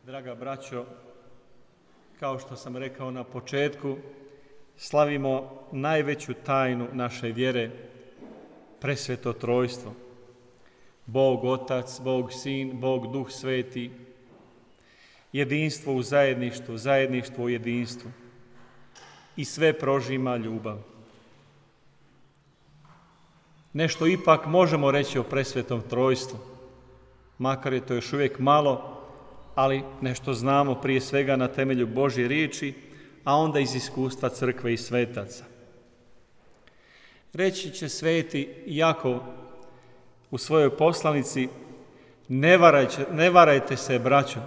Draga braćo, kao što sam rekao na početku, slavimo najveću tajnu naše vjere, presveto trojstvo. Bog Otac, Bog Sin, Bog Duh Sveti, jedinstvo u zajedništvu, zajedništvo u jedinstvu i sve prožima ljubav. Nešto ipak možemo reći o presvetom trojstvu, makar je to još uvijek malo, ali nešto znamo prije svega na temelju Božje riječi, a onda iz iskustva crkve i svetaca. Reći će sveti Jakov u svojoj poslanici: ne varajte se, braćo,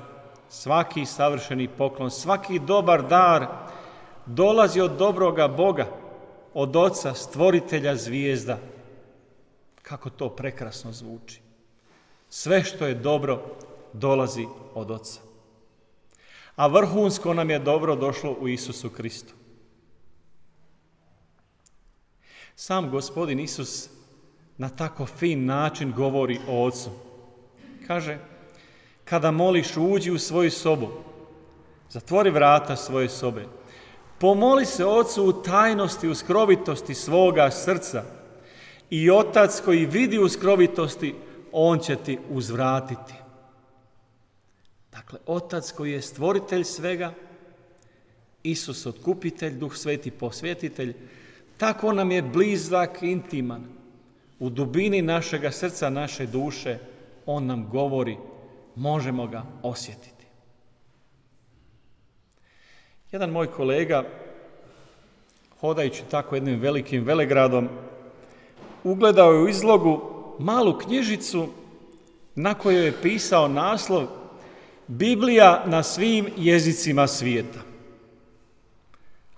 svaki savršeni poklon, svaki dobar dar dolazi od dobroga Boga, od Oca, stvoritelja zvijezda. Kako to prekrasno zvuči. Sve što je dobro dolazi od Oca. A vrhunsko nam je dobro došlo u Isusu Kristu. Sam Gospodin Isus na tako fin način govori o Ocu. Kaže: kada moliš, uđi u svoju sobu, zatvori vrata svoje sobe, pomoli se Ocu u tajnosti, u skrovitosti svoga srca, i Otac koji vidi u skrovitosti, On će ti uzvratiti. Dakle, Otac koji je stvoritelj svega, Isus otkupitelj, Duh Sveti posvjetitelj, tako nam je blizak, intiman. U dubini našega srca, naše duše, On nam govori, možemo ga osjetiti. Jedan moj kolega, hodajući tako jednim velikim velegradom, ugledao je u izlogu malu knjižicu na kojoj je pisao naslov Biblija na svim jezicima svijeta.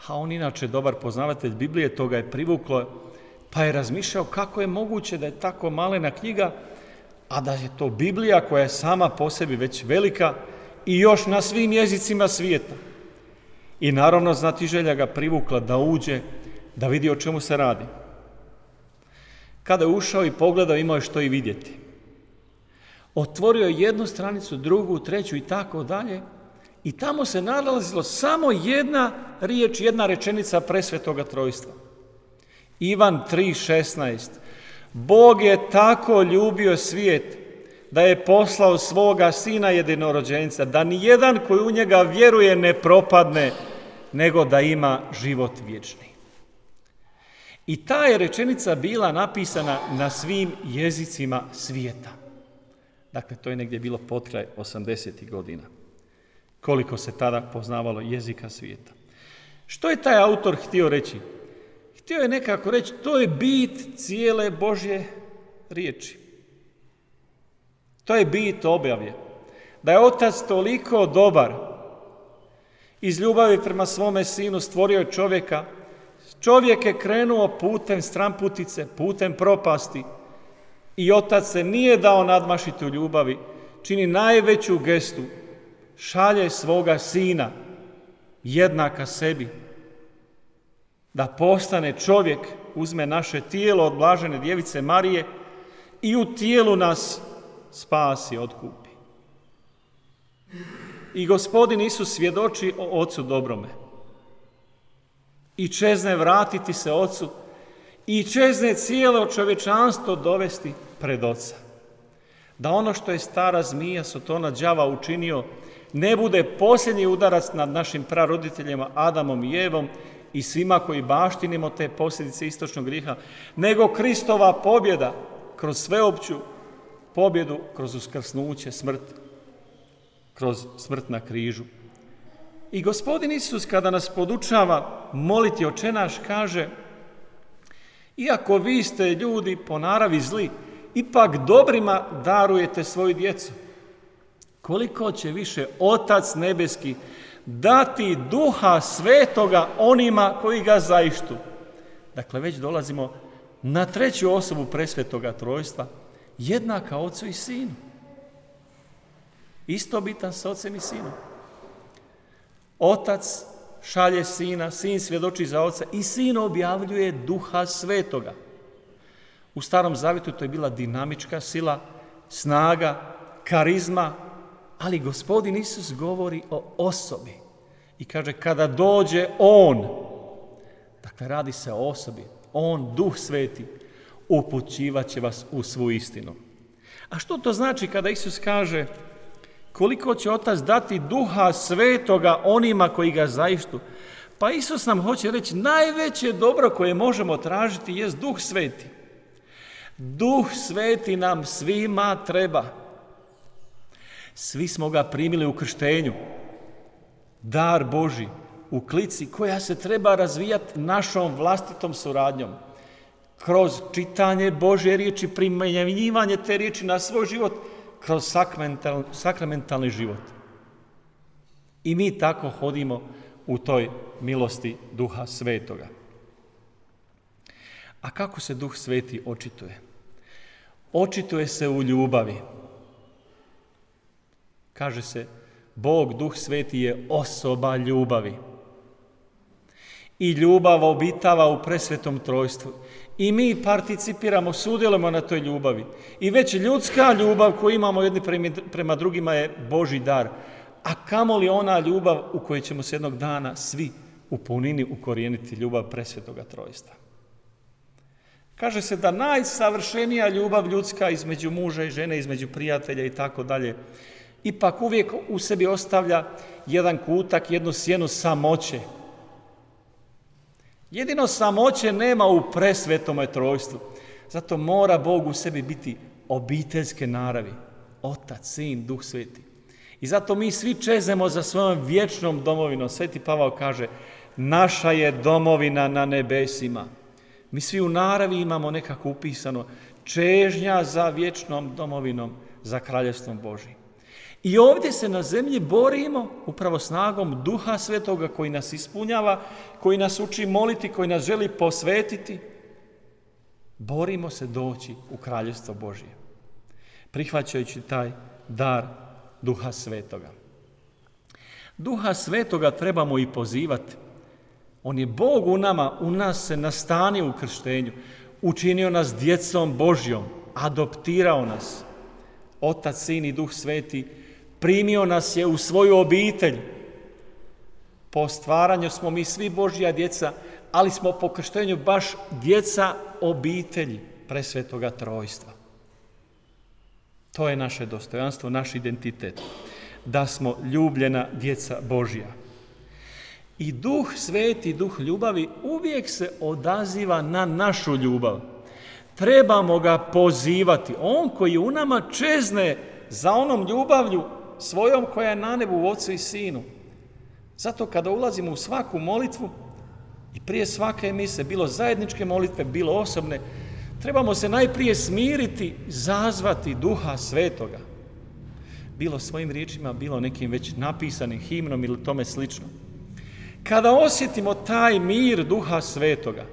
A on inače dobar poznavatelj Biblije, to ga je privuklo, pa je razmišljao kako je moguće da je tako malena knjiga, a da je to Biblija koja je sama po sebi već velika i još na svim jezicima svijeta. I naravno znatiželja ga privukla da uđe, da vidi o čemu se radi. Kada je ušao i pogledao, imao je što i vidjeti. Otvorio je jednu stranicu, drugu, treću i tako dalje, i tamo se nalazilo samo jedna riječ, jedna rečenica presvetoga trojstva. Ivan 3,16. Bog je tako ljubio svijet da je poslao svoga Sina jedinorođenca, da nijedan koji u njega vjeruje ne propadne, nego da ima život vječni. I ta je rečenica bila napisana na svim jezicima svijeta. Dakle, to je negdje bilo potkraj 80. godina. Koliko se tada poznavalo jezika svijeta. Što je taj autor htio reći? Htio je nekako reći, to je bit cijele Božje riječi. To je bit objave. Da je Otac toliko dobar, iz ljubavi prema svome Sinu stvorio čovjeka. Čovjek je krenuo putem stramputice, putem propasti, i Otac se nije dao nadmašiti u ljubavi, čini najveću gestu, šalje svoga Sina, jednaka sebi, da postane čovjek, uzme naše tijelo od blažene djevice Marije i u tijelu nas spasi, otkupi. I Gospodin Isus svjedoči o Ocu dobrome. I čezne vratiti se Ocu i čezne cijelo čovječanstvo dovesti pred Oca. Da ono što je stara zmija, Sotona, đava učinio, ne bude posljednji udarac nad našim praroditeljima Adamom i Evom i svima koji baštinimo te posljedice istočnog grijeha, nego Kristova pobjeda kroz sveopću pobjedu, kroz uskrsnuće, smrt, kroz smrt na križu. I Gospodin Isus kada nas podučava moliti Oče naš, kaže: iako vi ste ljudi po naravi zli, ipak dobrima darujete svoju djecu. Koliko će više Otac nebeski dati Duha Svetoga onima koji ga zaištu. Dakle, već dolazimo na treću osobu presvetoga trojstva, jednaka Ocu i Sinu. Istobitan s Ocem i Sinom. Otac šalje Sina, Sin svjedoči za Oca i Sin objavljuje Duha Svetoga. U Starom Zavjetu to je bila dinamička sila, snaga, karizma, Ali Gospodin Isus govori o osobi i kaže kada dođe On, dakle radi se o osobi, On, Duh Sveti, upućivat će vas u svu istinu. A što to znači kada Isus kaže koliko će Otac dati Duha Svetoga onima koji ga zaištu? Pa Isus nam hoće reći najveće dobro koje možemo tražiti jest Duh Sveti. Duh Sveti nam svima treba. Svi smo ga primili u krštenju. Dar Božji u klici koja se treba razvijati našom vlastitom suradnjom. Kroz čitanje Božje riječi, primjenjivanje te riječi na svoj život, kroz sakramentalni život. I mi tako hodimo u toj milosti Duha Svetoga. A kako se Duh Sveti očituje? Očituje se u ljubavi. Kaže se, Bog, Duh Sveti je osoba ljubavi. I ljubav obitava u presvetom trojstvu. I mi participiramo, sudjelujemo na toj ljubavi. I već ljudska ljubav koju imamo jedni prema drugima je Božji dar. A kamoli ona ljubav u kojoj ćemo se jednog dana svi u punini ukorijeniti ljubav presvetoga trojstva. Kaže se da najsavršenija ljubav ljudska između muža i žene, između prijatelja i tako dalje, ipak uvijek u sebi ostavlja jedan kutak, jednu sjenu samoće. Jedino samoće nema u presvetome trojstvu. Zato mora Bog u sebi biti obiteljske naravi. Otac, Sin, Duh Sveti. I zato mi svi čezemo za svojom vječnom domovinom. Sveti Pavao kaže, naša je domovina na nebesima. Mi svi u naravi imamo nekako upisano čežnja za vječnom domovinom, za kraljevstvom Božjim. I ovdje se na zemlji borimo upravo snagom Duha Svetoga koji nas ispunjava, koji nas uči moliti, koji nas želi posvetiti. Borimo se doći u kraljevstvo Božje, prihvaćajući taj dar Duha Svetoga. Duha Svetoga trebamo i pozivati. On je Bog u nama, u nas se nastanio u krštenju, učinio nas djecom Božjom, adoptirao nas. Otac, Sin i Duh Sveti primio nas je u svoju obitelj. Po stvaranju smo mi svi Božja djeca, ali smo po krštenju baš djeca obitelji presvetoga trojstva. To je naše dostojanstvo, naš identitet, da smo ljubljena djeca Božja. I Duh Sveti, Duh ljubavi uvijek se odaziva na našu ljubav. Trebamo ga pozivati. On koji u nama čezne za onom ljubavlju svojom koja je na nebu u Ocu i Sinu. Zato kada ulazimo u svaku molitvu i prije svake mise, bilo zajedničke molitve, bilo osobne, trebamo se najprije smiriti, zazvati Duha Svetoga. Bilo svojim riječima, bilo nekim već napisanim himnom ili tome slično. Kada osjetimo taj mir Duha Svetoga,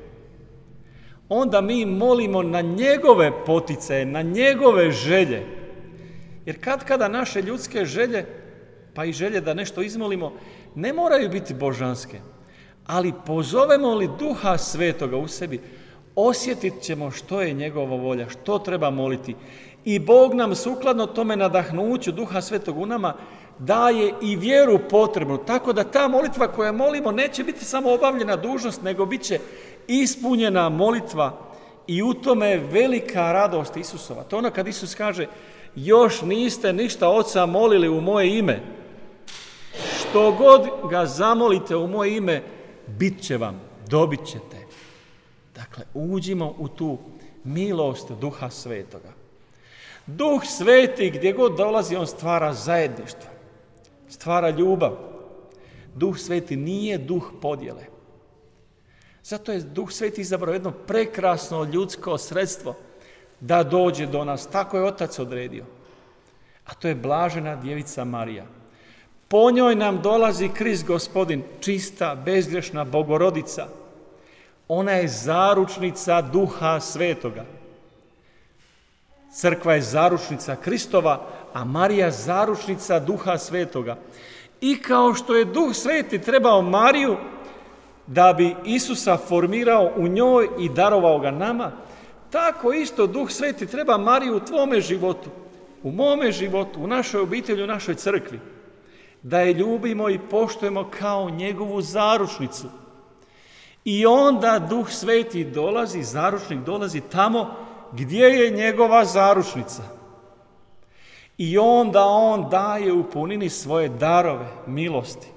onda mi molimo na njegove poticaje, na njegove želje. Jer kada naše ljudske želje, pa i želje da nešto izmolimo, ne moraju biti božanske. Ali pozovemo li Duha Svetoga u sebi, osjetit ćemo što je njegova volja, što treba moliti. I Bog nam sukladno tome nadahnuću Duha Svetog u nama daje i vjeru potrebnu. Tako da ta molitva koju molimo neće biti samo obavljena dužnost, nego bit će ispunjena molitva i u tome velika radost Isusova. To ono kad Isus kaže, još niste ništa Oca molili u moje ime. Što god ga zamolite u moje ime, bit će vam, dobit ćete. Dakle, uđimo u tu milost Duha Svetoga. Duh Sveti, gdje god dolazi, on stvara zajedništvo, stvara ljubav. Duh Sveti nije duh podjele. Zato je Duh Sveti izabrao jedno prekrasno ljudsko sredstvo da dođe do nas. Tako je Otac odredio. A to je blažena djevica Marija. Po njoj nam dolazi Krist Gospodin, čista, bezgrešna Bogorodica. Ona je zaručnica Duha Svetoga. Crkva je zaručnica Kristova, a Marija zaručnica Duha Svetoga. I kao što je Duh Sveti trebao Mariju da bi Isusa formirao u njoj i darovao ga nama, tako isto Duh Sveti treba Mariju u tvome životu, u mome životu, u našoj obitelji, u našoj crkvi, da je ljubimo i poštujemo kao njegovu zaručnicu. I onda Duh Sveti dolazi, zaručnik dolazi tamo gdje je njegova zaručnica. I onda on daje u punini svoje darove, milosti.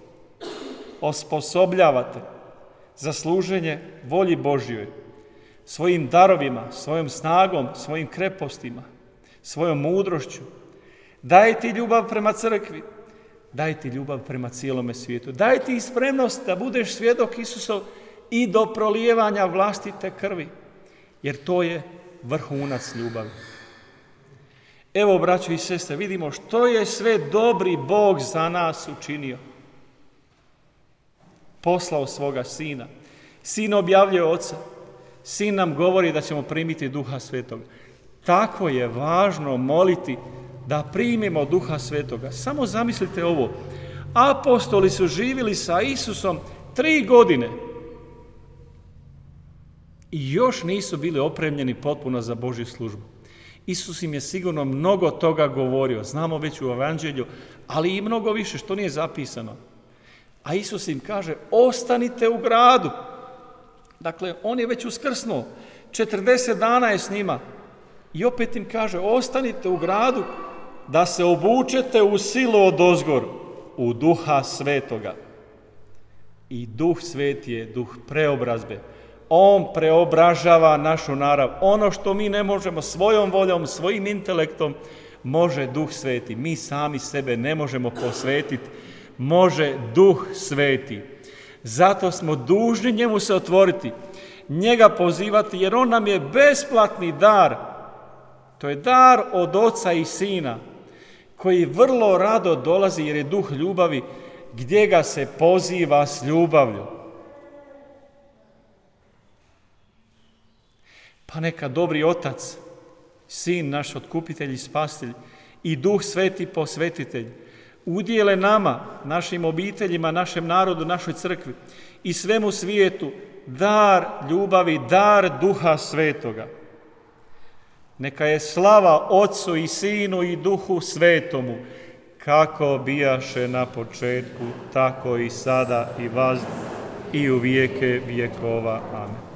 Osposobljavate za služenje volji Božjoj, svojim darovima, svojom snagom, svojim krepostima, svojom mudrošću. Daje ti ljubav prema crkvi, daje ti ljubav prema cijelome svijetu. Daje ti spremnost da budeš svjedok Isusov i do prolijevanja vlastite krvi, jer to je vrhunac ljubavi. Evo, braćo i sestre, vidimo što je sve dobri Bog za nas učinio. Poslao svoga Sina. Sin objavljuje Oca. Sin nam govori da ćemo primiti Duha Svetoga. Tako je važno moliti da primimo Duha Svetoga. Samo zamislite ovo. Apostoli su živjeli sa Isusom 3 godine i još nisu bili opremljeni potpuno za Božju službu. Isus im je sigurno mnogo toga govorio, znamo već u Evanđelju, ali i mnogo više što nije zapisano. A Isus im kaže, ostanite u gradu. Dakle, on je već uskrsnuo, 40 dana je s njima i opet im kaže, ostanite u gradu da se obučete u silu odozgor, u Duha Svetoga. I Duh Sveti je duh preobrazbe. On preobražava našu narav. Ono što mi ne možemo svojom voljom, svojim intelektom, može Duh Sveti. Mi sami sebe ne možemo posvetiti, može Duh Sveti. Zato smo dužni njemu se otvoriti, njega pozivati, jer on nam je besplatni dar. To je dar od Oca i Sina, koji vrlo rado dolazi, jer je duh ljubavi, gdje ga se poziva s ljubavlju. Pa neka dobri Otac, Sin naš otkupitelj i spasitelj i Duh Sveti posvetitelj udijele nama, našim obiteljima, našem narodu, našoj crkvi i svemu svijetu dar ljubavi, dar Duha Svetoga. Neka je slava Otcu i Sinu i Duhu Svetomu, kako bijaše na početku, tako i sada i vazda i u vijeke vjekova. Amen.